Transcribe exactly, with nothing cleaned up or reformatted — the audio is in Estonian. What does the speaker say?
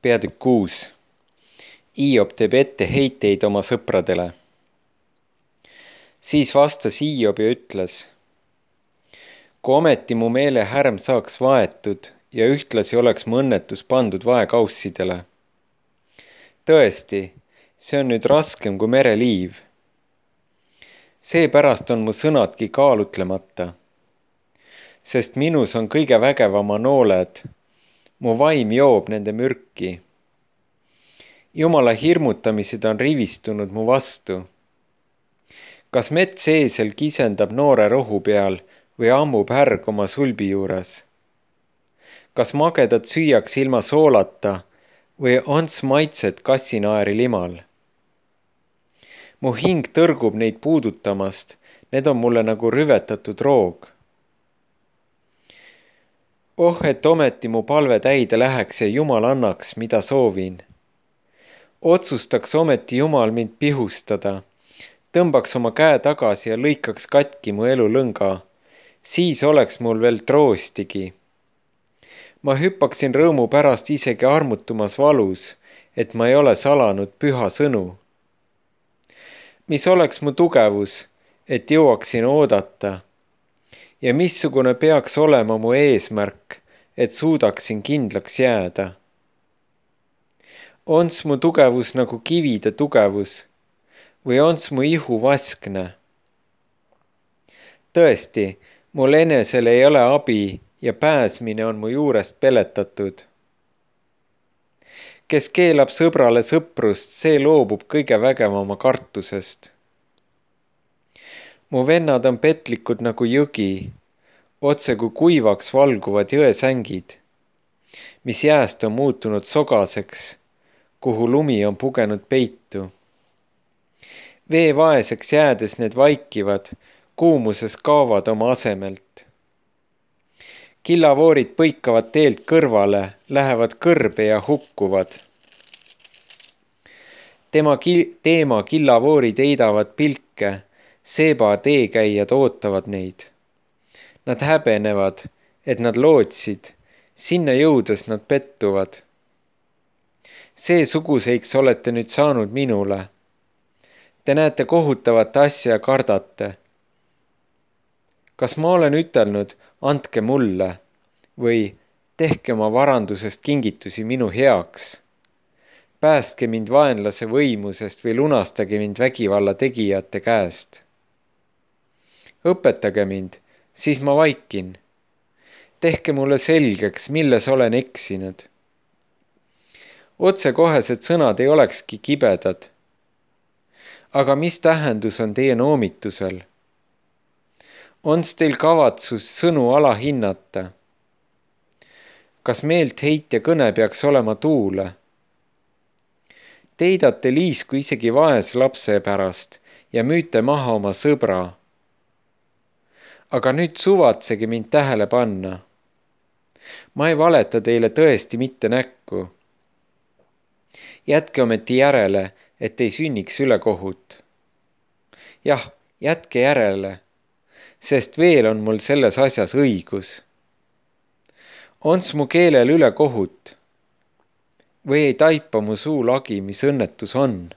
Peatükk kuus. Iiop teeb etteheiteid oma sõpradele. Siis vastas Iiop ja ütles: kui ometi mu meele härm saaks vaetud ja ühtlasi oleks mu õnnetus pandud vaekaussidele. Tõesti, see on nüüd raskem kui mereliiv. Seepärast on mu sõnadki kaalutlemata, sest minus on kõige vägevama nooled, mu vaim joob nende mürki. Jumala hirmutamised on rivistunud mu vastu. Kas metseesel kisendab noore rohu peal või ammub härg oma sulbi juures? Kas magedat süüaks ilma soolata või ons maitset kassinaeri limal? Mu hing tõrgub neid puudutamast, need on mulle nagu rüvetatud roog. Oh, et ometi mu palve täide läheks ja Jumal annaks, mida soovin. Otsustaks ometi Jumal mind pihustada, tõmbaks oma käe tagasi ja lõikaks katki mu elu lõnga, siis oleks mul veel troostigi. Ma hüppaksin rõõmu pärast isegi armutumas valus, et ma ei ole salanud püha sõnu. Mis oleks mu tugevus, et jõuaksin oodata, ja missugune peaks olema mu eesmärk, et suudaksin kindlaks jääda. Ons mu tugevus nagu kivide tugevus või ons mu ihu vaskne? Tõesti, mul enesel ei ole abi ja pääsmine on mu juurest peletatud. Kes keelab sõbrale sõprust, see loobub kõige vägevama kartusest. Mu vennad on petlikud nagu jõgi, otse kui kuivaks valguvad jõesängid, mis jääst on muutunud sogaseks, kuhu lumi on pugenud peitu. Vee vaeseks jäädes need vaikivad, kuumuses kaovad oma asemelt. Killavoorid põikavad teelt kõrvale, lähevad kõrbe ja hukkuvad. Tema ki- teema killavoorid eidavad pilke, seeba teekäijad ootavad neid. Nad häbenevad, et nad lootsid, sinna jõudes nad pettuvad. Seesuguseiks olete nüüd saanud minule. Te näete kohutavat asja ja kardate. Kas ma olen ütelnud, andke mulle, või tehke oma varandusest kingitusi minu heaks? Päästke mind vaenlase võimusest või lunastage mind vägivalla tegijate käest. Õpetage mind, siis ma vaikin. Tehke mulle selgeks, milles olen eksinud. Otsekohesed sõnad ei olekski kibedad. Aga mis tähendus on teie noomitusel? Ons teil kavatsus sõnu alahinnata? Kas meelt heitja kõne peaks olema tuule? Teidate liisku isegi vaes lapse pärast ja müüte maha oma sõbra. Aga nüüd suvatsege mind tähele panna. Ma ei valeta teile tõesti mitte näkku. Jätke ometi järele, et ei sünniks ülekohut. Jah, jätke järele, sest veel on mul selles asjas õigus. Ons mu keelel ülekohut või ei taipa mu suu lagi, mis õnnetus on?